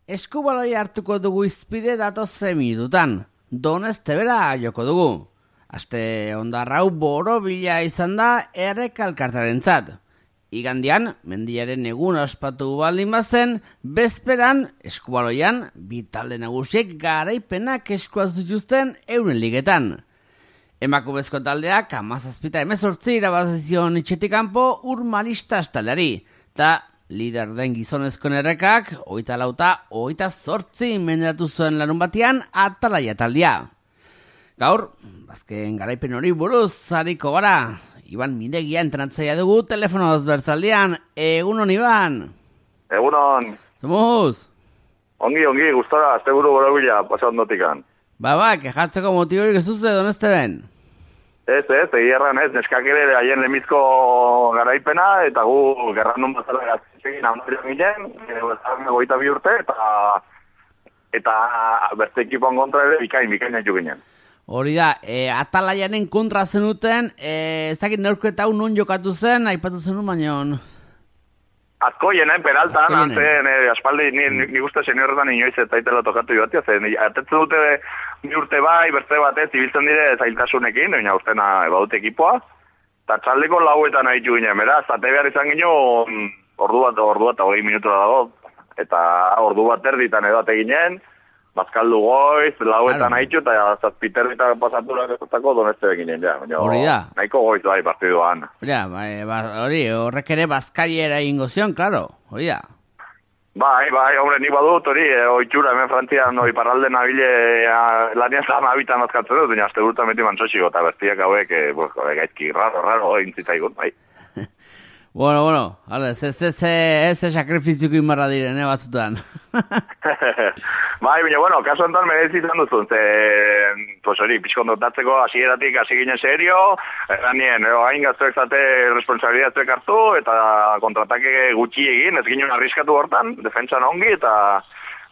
Eskubaloi hartuko dugu izpide datozen minututan. Doneztebera joko dugu. Aste ondarrau borobila izan da errekalkartarentzat. Igandian, mendiaren egun ospatu baldin bazen, bezperan, eskubaloian, bi talde nagusiek garaipenak eskuaz dituzten euren ligetan. Emakumezko taldeak 17-18 irabazizion itxetik kanpo Urmalista taldeari, eta lider den gizonezkoen errekak 24-28 mendatu zuen larun batean Atalaia taldea. Gaur, bazken garaipen hori buruz hariko gara. Iban Minegia entrenatzaia dugu telefonoz bertzaldian. Egunon, Iban. Egunon. Zomuz? Ongi, gustora, asteburu borobila pasa ondotikan. Kejatzeko motiborik ez duzte Donezteben? Ez, egierran ez, neskak ere haien lemizko garaipena, eta gu gerrandun bazala gaztekin amarri ginen, goita bi urte, eta beste ekipon kontra ere bikain haitu ginen. Hori da, Atalaianen kontra zenuten, ez dakit neurketa hau non jokatu zen, aipatu zenun baino... Azkoienen, Peraltan, antzen, aspaldi, ni uste seniorretan inoiz eta itela tokatu joatia, zen, atetzen dute ni urte bai, beste batez, ibiltzen dire zailtasunekin, baina ustena badute ekipoa, eta txaldeko lauetan haitu ginen, beraz, ate behar izan ginen, ordu bat 20 minutura dago, eta ordu bat erditan edo ate ginen, bazkaldu goiz, lauetan haitu, eta zazpiterritan pasaturakotako Doneztebe ginen, ja. Hori da. Nahiko goiz bai partiduan. Hori, horrek ere bazkariera ingo zion, klaro, hori da. Bai, hombre, nik badut, hori, oitxura, hemen Frantzian, iparralde nabile, lanian zahama habitan azkatzen dut, baina azte burta meti mantxotxiko, eta bertiak hauek, gaizki, raro, intzitaigun, bai. Bueno, ez sakrifiziuko inbarra diren, batzutan. Bai, baina, kaso enten merezi izan duzun, pues hori, pixkon dotatzeko, hasieratik hasi ginen serio, eranien, hain gaztuek zate responsabilidatuek hartu, eta kontratake gutxi egin, ez ginen arriskatu hortan, defentsan ongi, eta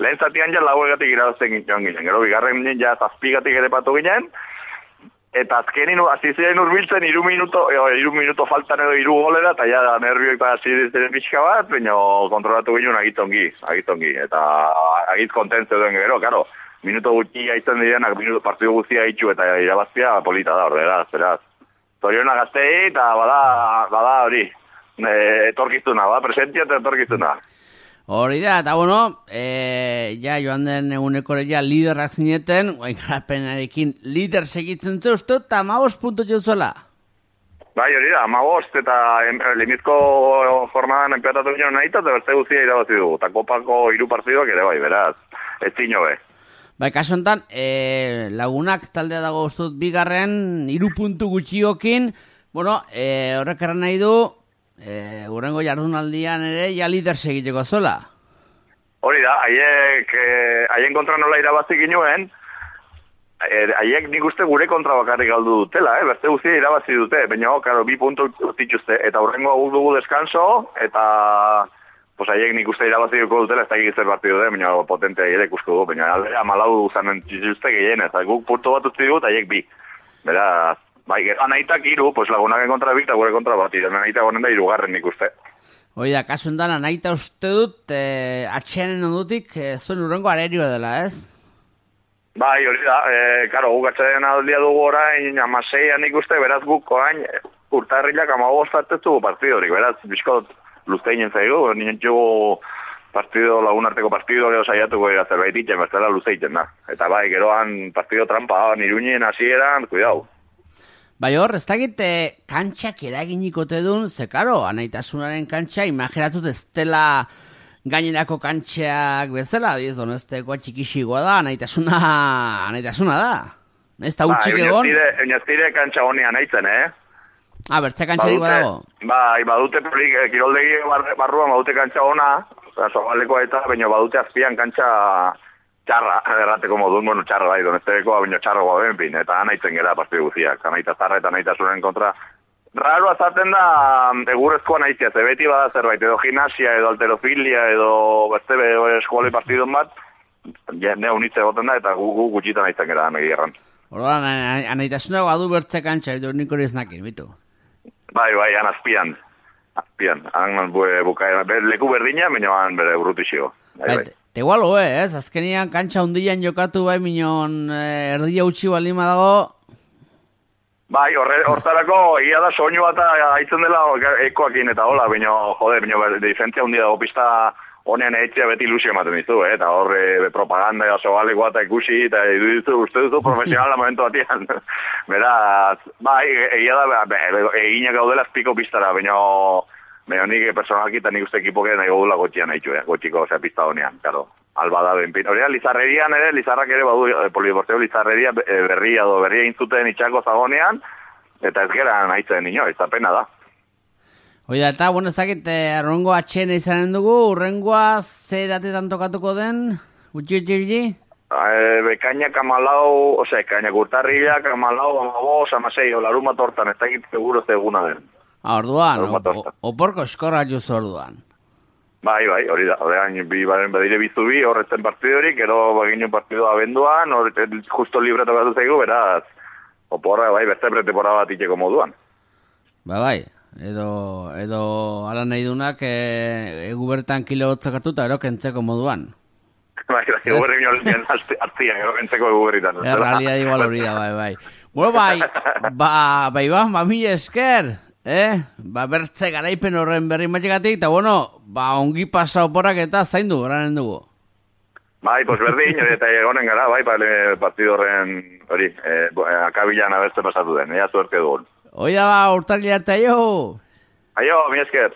lehen zatian ja lauegatik irabazten ginen, gero bigarren ginen ja zazpigatik ere patu ginen, eta azkenin azizean urbiltzen 3 minuto faltan edo 3 golera, eta ja nervioek eta azizean pixka bat, baina kontrolatu ginen agitongi, eta agit kontentzio duen gero, karo, minuto gutxi haitzen direnak, partidu guztia haitxu eta irabaztia polita da, beraz. Zoriona gaztei, eta bada hori, etorkizuna, presentia eta etorkizuna. Hori da, eta ja joan den egunekore ja liderrak zineten, guain garapenarekin lider segitzen ze uste, eta 15 puntu jozuela. Bai, hori da, 15, eta limizko jornadan enpeatatu ginen nahi, eta beste guztia irabazi dugu, eta kopako 3 partiduak ere bai, beraz, ez zino be. Bai, kaso enten, lagunak taldea dago ustut bigarren, 3 puntu gutxiokin, horrek erran nahi du, urrengo jardunaldian ere ja lider segiteko zola. Hori da, haien kontra nola irabazi ginuen, haiek nik uste gure kontra bakarrik galdu dutela, beste guztia irabazi dute, baina, karo, 2 puntu dituzte, eta urrengo dugu deskanso, eta haiek nik uste irabazi duko dutela, ez da egizzer partidu da, baina potente haiek ikusko du, baina aldera 14 zanen dituzte gehien, eta guk puntu bat utzi dut, haiek 2. Beraz, bai, anaitak 3, lagunaken kontra 2 eta gure kontra bat, anaitak honen da 3 nik uste. Hoi da, kasu endan, anaita uste dut, atxeanen ondutik, zuen urrengo arerio dela, ez? Bai, hori da, karo, guk atxeanen aldia dugu orain, 16 nik uste, beraz guk orain, urtarrilak 15 atezu partidorik, beraz, bizkot luzteinen zaigu, nien txugu lagunarteko partido gero saiatuko gara zerbait itxen, bestela luzeiten da. Eta bai, geroan partido trampa, Iruñen hasieran, cuidao. Bai hor, ez dakit kantxak eraginikote duen, ze karo, anaitasunaren kantxa, imaginatut ez dela gainerako kantxak bezala, diz, Doneztekoa txikixikoa da, anaitasuna da. Ez da utxik egon? Baina ez dire kantxa honean aitzen, bertze kantxarik badago? Bai, badute kiroldegi barruan badute kantxa ona, zobalekoa eta, baina badute azpian kantxa txarra, errateko modun, txarra bai, Doneztekoa, baina txarroa benpin, eta anaitzen gara partidu guziak, anaita zarra eta anaitasunen kontra. Raro azaten da, egurrezkoa naizia, ze beti bada zerbait, edo gimnasia, edo alterofilia, edo beste eskuali partidun bat, ne unitze goten da, eta gu gutxitan naizten gara negierran. Horban, anaitasuna badu bertze kantxa, edo nik hori eznakin, bitu? Bai, han azpian, han leku berdina, baina han bere urrutixio. Tegualo, ez? Azkenian kantxa hundian jokatu bai minon erdia utxi balima dago. Bai, hortarako egia da soinu bat haitzen dela ekoakin eta hola, baina, diferentzia hundi dago pista honean eitzea beti ilusio ematen dizu, eta horre propaganda eta sobalekoa eta ikusi, eta uste duzu profesionala momentu batian. Beraz, bai, egia da, eginak gaudela azpiko pistara, baina nik personalki eta nik uste ekipoke nahi godula gotxian haitxu, gotxiko, pista honean, karo. Alba da benpin. Horrea, Lizarrerian ere, Lizarrak ere badu, polideporteo Lizarreria berria intzuten itxako zagonean, eta ez geran haitzen nino, ez da pena da. Oida, eta, bueno, ezakit, arrengoa txena izanen dugu, urrengoa ze datetan tokatuko den, gutxi? Bekainak amalau, ekainak urtarrilak amalau, amabos, amasei, larun bat hortan, ez dakit seguro zeguna den. Orduan, oporko eskorra juzu orduan. Bai, hori da, horrean, badire bizu bi, horretzen partidorik, ero baginen partidoa abenduan, justo libre tokatu zaigu, beraz, oporra, bai, beste pretemporada bat itxeko moduan. Bai, edo ala nahi dunak, egu bertan kilo hotzak hartuta, ero kentzeko moduan. Bai, egu berri minolien hartzian, ero kentzeko egu berritan. Realidad igual hori da, bai. Bueno, bai, mila esker, bertze garaipen horren berri matxegatik, eta bueno, ongi pasa oporrak eta zaindu, oranen dugu. Bai, pues berdin, eta egonen gara, bai, partido horren, hori, akabilan abertze pasatu den, ea suerte dugun. Oida urtarri arte, aio! Aio, mi esker!